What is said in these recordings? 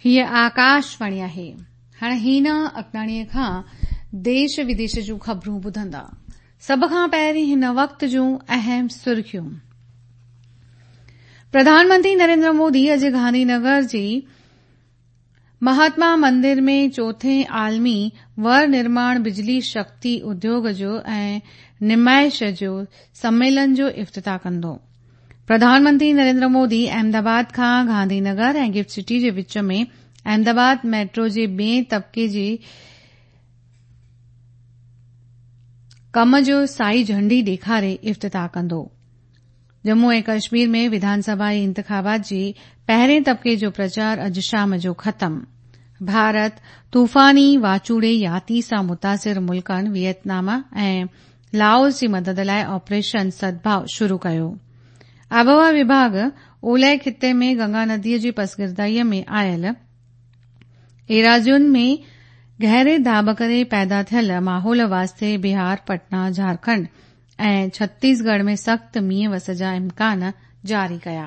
هيء آڪاشواڻي آهي. هاڻ هينا اگناڻيء کان ديش وديش جون خبرون ٻڌندا. سڀ کان پهرين هن وقت جون اهم سرخيون. پرڌان منتري نريندر مودي اڄ گانڌي نگر جي مهاتما مندر ۾ چوٿين عالمي ور نرماڻ بجلي شڪتي اديوگ جو ۽ نمائش جو سميلن جو افتتاح ڪندو. پرڌان منتري نريندر مودي احمد آباد کان گانڌي نگر ۽ گفٽ سٽي جي وچ ۾ احمد آباد ميٽرو جي ٻئين طبقي جي ڪم جو سائي جهنڊي ڏيکاري افتتاح ڪندو. ڄمون ۽ ڪشمير ۾ وڌان سڀائي انتخابات جي پهرين طبقي جو پرچار اڄ شام جو ختم. ڀارت طوفاني واچوڙي ياتي سان متاثر ملڪن ويٽنام ۽ لاوس جي مدد لاء آپريشن سدڀاء شروع ڪيو. آبهوا وڀاڳ اولهه خطي ۾ گنگا نديء جي پسگردائيء ۾ آيل ايراضين ۾ گهري داٻ ڪري پيدا ٿيل ماحول واسطي بهار، پٽنا، جهارکنڊ ۽ ڇتيسڳڙهه ۾ سخت مينهن وس جا امڪان جاري ڪيا.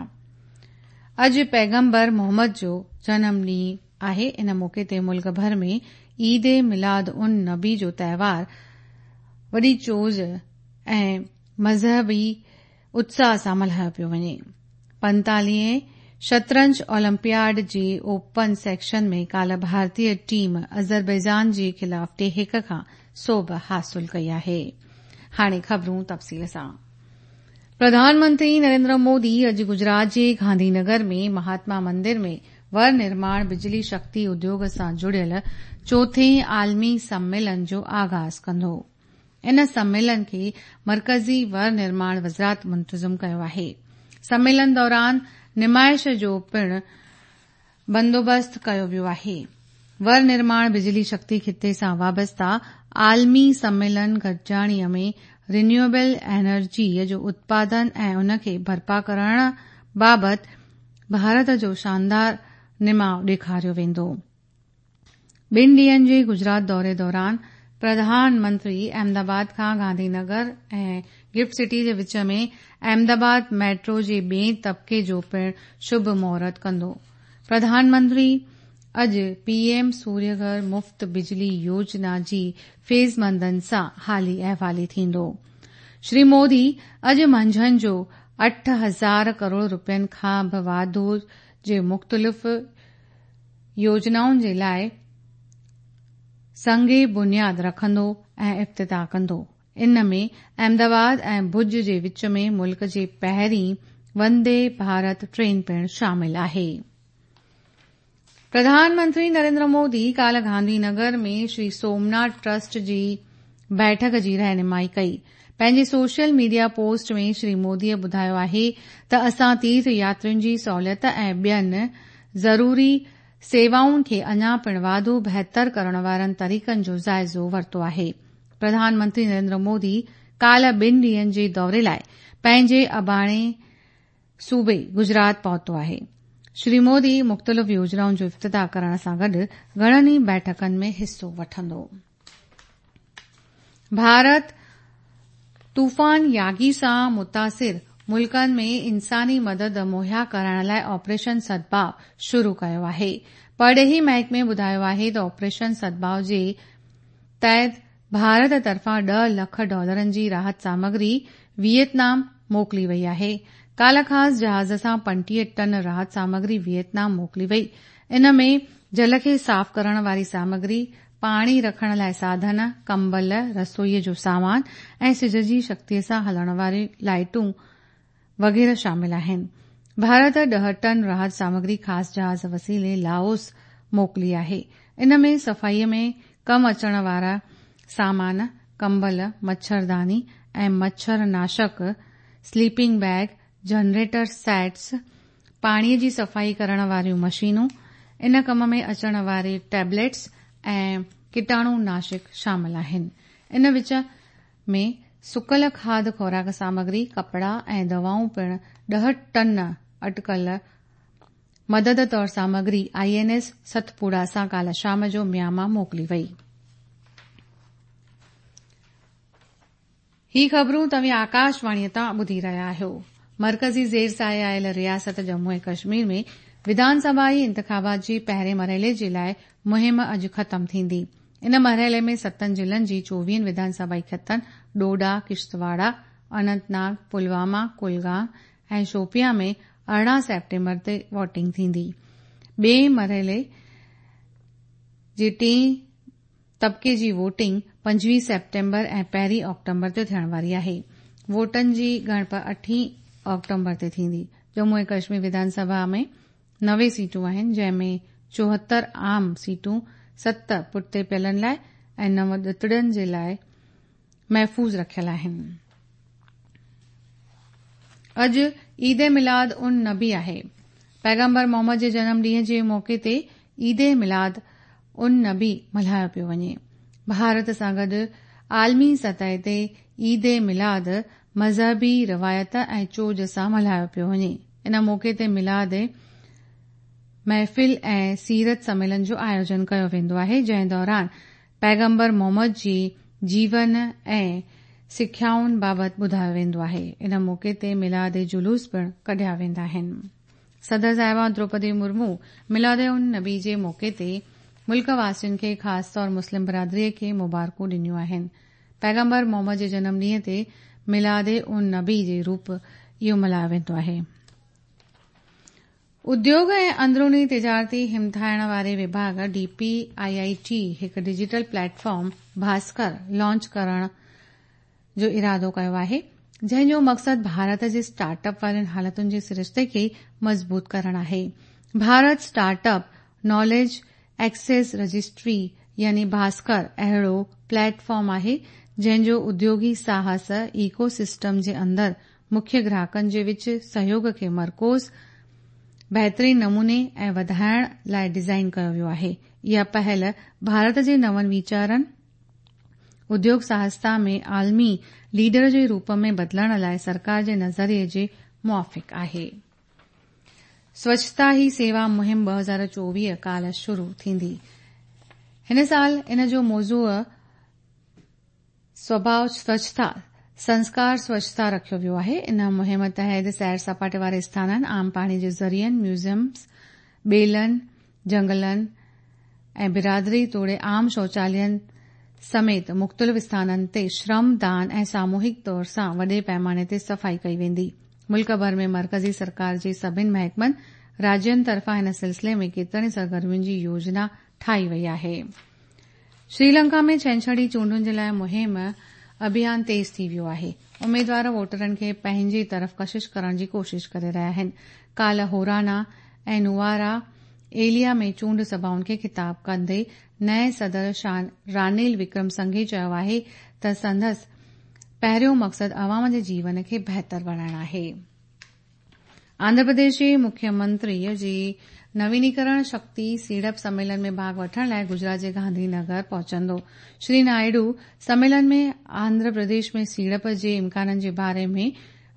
اڄ پيغمبر محمد جو جنم ڏينهن آهي ان موقعي تي ملڪ ڀر ۾ عيد ميلاد النبي جو تهوار وڏي چوز ۽ مذهبي اتساهه سان ملهايو پيو وڃي. پنتاليهين شطرنج اولمپياڊ جي اوپن سيڪشن ۾ ڪالهه ڀارتي ٽيم آذربائيجان جي خلاف ٽي هڪ کان سوڀ حاصل ڪئي آهي. هاڻي خبرون تفصيل سان. پرڌان منتري نريندر مودي اڄ گجرات جي گانڌي نگر ۾ مهاتما مندر ۾ ور نرماڻ بجلي شڪتي اديوگ سان جڙيل چوٿين عالمي سميلن جو آغاز ڪندو. ان سميلن کي مرڪزي ور نرماڻ وزارت منتظم ڪيو آهي. سميلن دوران نمائش جو پڻ بندوبست ڪيو ويو آهي. ور نرماڻ بجلي شڪتي خطي سان وابسته عالمي سميلن گڏجاڻي ۾ رينيوئبل انرجي جو اتپادن ۽ ان کي برپا ڪرڻ بابت ڀارت جو شاندار نماء ڏيکاريو ويندو. ٻن ڏينهن جي گجرات دوري دوران پرڌان منتري احمد آباد کان گانڌي نگر ۽ گفٽ سٽي جي وچ ۾ احمد آباد ميٽرو جي ٻئين طبقي جو پڻ شڀ مهورت ڪندو. پرڌان منتري اڄ پي ايم سوريه گهر مفت بجلي يوجنا جي فيضمندن سان حالي احوالي ٿيندو. شري مودي اڄ منجهند جو 8000 ڪروڙ رپين کان به واڌو جي مختلف يوجنائن جي لاء سنگ بنياد رکندو ۽ افتتاح ڪندو. ان ۾ احمد آباد ۽ ڀڄ جي وچ ۾ ملڪ جي پهرين وندي ڀارت ٽرين پڻ شامل آهي. پرڌان منتري نريندر مودي ڪالهه گانڌي نگر ۾ شري سومناٿ ٽرسٽ جي بيٺڪ جي رهنمائي ڪئي. پنهنجي social media post ۾ Shri Modi ٻڌايو آهي ته اسان تيرٿ ياترين جي سهوليت ۽ ٻين ضروري سيوائن کي اڃا پڻ واڌو بهتر ڪرڻ وارن طريقن جو جائزو ورتو آهي. پرڌان منتري نريندر مودي ڪالهه ٻن ڏينهن جي دوري لاء پنهنجي اباڻي صوبي گجرات پهتو آهي. شري مودي مختلف يوجنائن جو افتتاح ڪرڻ سان گڏ گهڻن ئي بيٺڪن ۾ حصو وٺندو. ڀارت طوفان ياگي سان متاثر ملڪن ۾ انساني مدد مهيا ڪرائڻ لاء آپريشن سدڀاء شروع ڪيو آهي. پرڏيهي محڪمي ٻڌايو آهي ته آپريشن سدڀاء جي تحت ڀارت طرفان ڏهه لک ڊالرن جي راحت سامگري ويٽنام موڪلي وئي آهي. ڪالهه خاص جهاز سان 35 ٽن راحت سامگري ويٽنام موڪلي وئي. ان ۾ جل کي صاف ڪرڻ واري سامگري، پاڻي رکڻ لاء ساڌن، ڪمبل، رسوئيء جو سامان ۽ سج جي شڪتيء سان هلڻ واريون لائيٽون وغيره شامل آهن. ڀارت ڏهه ٽن راحت سامگري خاص جهاز وسيلي لاوس موڪلي آهي. ان ۾ صفائيء ۾ ڪم اچڻ وارا سامان، ڪمبل، مڇرداني ۽ مڇر ناشڪ، سليپنگ بيگ، جنريٽر سيٽس، پاڻي جي صفائي ڪرڻ واريون مشينون، ان ڪم ۾ اچڻ واري ٽيبليٽس ۽ ڪيٽاڻو ناشڪ شامل آهن. ان وچ ۾ سڪل کاڌ خوراڪ سامگري، ڪپڙا ۽ دوائون پڻ ڏهه ٽن اٽڪل مدد طور سامگري I N S ستپوڙا سان ڪالهه شام جو ميانما موڪلي وئي. هي خبرون توهين آڪاشواڻيء تان ٻڌي رهيا آهيو. مرڪزي زير سايي آيل رياست ڄمون ۽ ڪشمير ۾ وڌان سڀائي انتخابات جي پهرين مرحلي جي لاء مهم اڄ ختم ٿيندي. ان مرحلي ۾ ستن ضلعن جي چوويهن وڌان سڀائي خطن ڊوڊا، ڪشتواڙا، اننت ناگ، پلواما، ڪلگام ۽ شوپيان ۾ 18 سيپٽمبر تي ووٽنگ ٿيندي. ٻئي مرحلي جي ٽئين طبقي جي ووٽنگ 25 سيپٽمبر ۽ پهرين آڪٽومبر تي ٿيڻ واري آهي. ووٽن جي ڳڻپ اٺين آڪٽومبر تي ٿيندي. ڄمون ۽ ڪشمير وڌان سڀا ۾ 90 سيٽون آهن، جنهن ۾ 74 عام سيٽون، ست پٺتي پيلن لاء ۽ نو ڏتڙين جي لاء محفوظ رکيل آهن. اڄ عيد ميلاد ان نبي آهي. پيغمبر محمد جي جنم ڏينهن جي موقعي تي عيد ميلاد ان نبي ملهايو پيو وڃي. ڀارت سان گڏ عالمي سطح تي عيد ميلاد مذهبي روايت ۽ چوڄ سان ملهايو پيو وڃي. ان موقعي تي ميلاد محفل ۽ سيرت سميلن جو آيوجن ڪيو ويندو آهي، جنهن دوران پيغمبر محمد جي جيون ۽ سکيائن بابت ٻڌايو ويندو آهي. ان موقعي تي ميلاد جلوس پڻ ڪڍيا ويندا آهن. صدر صاحبه دروپدي مرمو ميلاد النبي جي موقعي تي ملڪ واسين کي خاص طور مسلم برادري کي مبارڪون ڏنيون آهن. پيغمبر محمد جي جنم ڏينهن تي ميلاد النبي جي روپ اهو ملهايو ويندو آهي. اديوگ ۽ اندروني تجارتي همٿائڻ واري وڀاڳ، D P I I T, هڪ digital plate form Bhaskar launch ڪرڻ جو ارادو ڪيو آهي، جنهن جو مقصد ڀارت جي اسٽارٽ اپ وارين حالتن جي سرشتي کي مضبوط ڪرڻ آهي. Bharat startup knowledge access registry يعني ڀاسڪر اهڙو پليٽ فارم آهي، جنهن جو اديوگي ساهس ايڪو سسٽم جي اندر مکيه گراهڪن جي وچ سهيوڳ کي مرڪوز، بهترين نموني ۽ وڌائڻ لاء ڊزائين ڪيو ويو آهي. اها پهل ڀارت جي نون ويچارن، اديوگ ساهستا ۾ عالمي ليڊر جي روپ ۾ بدلڻ لاء سرڪار جي نظريي جي موافق آهي. سوڇتا هي سيوا مهم 2024 ڪالهه شروع ٿيندي. هن سال ان جو موضوع سوڀاء سوڇتا، سنسڪار سوڇتا رکيو ويو آهي. ان مهم تحت سير سپاٽي واري اسٿانن، عام پاڻي جي ذريعن، ميوزيمز، ٻيلن، جهنگلن ۽ برادري توڙي عام شوچالين سميت مختلف اسٿانن تي شرم دان ۽ ساموهڪ طور سان وڏي پئماني تي صفائي ڪئي ويندي. ملڪ ڀر ۾ مرڪزي سرڪار جي سڀن محڪمن، راجين طرفان هن سلسلي ۾ ڪيترن ئي سرگرمين جي يوجنا ٺاهي وئي آهي. شريلنڪا ۾ ڇنڇري چونڊن جي لاء مهم اڀيان تيز ٿي ويو آهي. اميدوار ووٽرن کي پنهنجي طرف ڪشش ڪرڻ جي ڪوشش ڪري رهيا آهن. ڪالهه هورانا ۽ نوارا ايليا ۾ چونڊ سڀائن کي خطاب ڪندي نئين صدر شان رانيل وڪرم سنگهي چيو آهي ته سندس پهريون مقصد عوام جي جيون کي بهتر بڻائڻ آهي. آنڌرا پرديش جي مکيه منتري جي نوينيڪرڻ شڪتي سيڙپ سميلن ۾ ڀاڳ وٺڻ لاء گجرات جي گانڌي نگر پهچندو. شري نائيڊو سميلن ۾ آنڌرا پرديش ۾ سيڙپ جي امڪانن جي باري ۾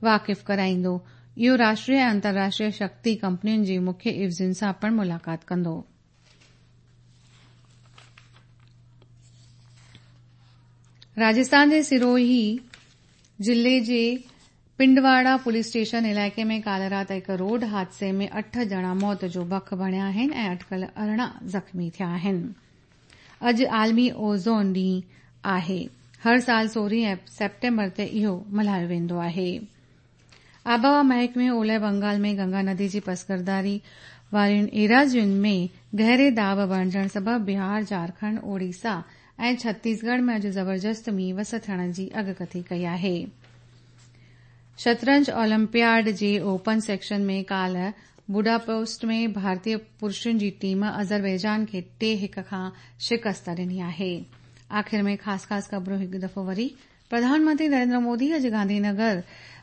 واقف ڪرائيندو. اهو راشٽريه ۽ انترراشٽريه شڪتي ڪمپنين جي مکيه عيوضين سان پڻ ملاقات ڪندو. راجسٿان جي سروهي ضلعي جي پنڊواڙا پوليس اسٽيشن علائقي ۾ ڪالهه رات هڪ روڊ حادثي ۾ اٺ ڄڻا موت جو بک بڻيا آهن ۽ اٽڪل 18 زخمي ٿيا آهن. اڄ عالمي اوزون ڏينهن آهي. هر سال 16 سيپٽمبر تي اهو ملهايو ويندو آهي. آبهوا محڪمي اولهه بنگال ۾ گنگا ندي جي پسگرداري وارين ايراضين ۾ گهري داٻ بڻجڻ سبب بهار، جهارکنڊ، اوڙيسا ۽ ڇتيسڳڙهه ۾ اڄ زبردست مينهن وس ٿيڻ جي اڳڪٿي ڪئي آهي. شطرنج اولمپياڊ جي اوپن سيڪشن ۾ ڪالهه بوڊاپيسٽ ۾ ڀارتي پرشن جي ٽيم آذربائيجان کي ٽي هڪ کان شڪست ڏني آهي. آخر ۾ خاص خاص خبرون هڪ دفعو وري پرڌان منتري نريندر مودي اڄ گانڌي نگر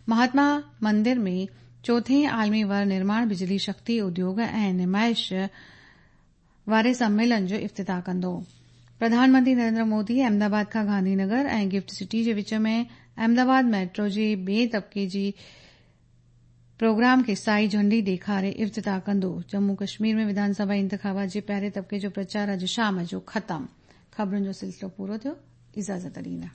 مهاتما مندر ۾ چوٿين عالمي ور نرماڻ بجلي شڪتي اديوگ ۽ نمائش واري سميلن جو افتتاح ڪندو. پرڌان منتري نريندر مودي احمد آباد کان گانڌي نگر ۽ گفٽ سٽي جي وچ ۾ احمد آباد ميٽرو جي ٻئي طبقي جي پروگرام کي سائي جهنڊي ڏيکاري افتتاح ڪندو. ڄمون ڪشمير ۾ وڌان سڀا انتخابات جي پهرين طبقي جو پرچار اڄ شام جو ختم. خبرن جو سلسلو پورو ٿيو. اجازت ڏيندا.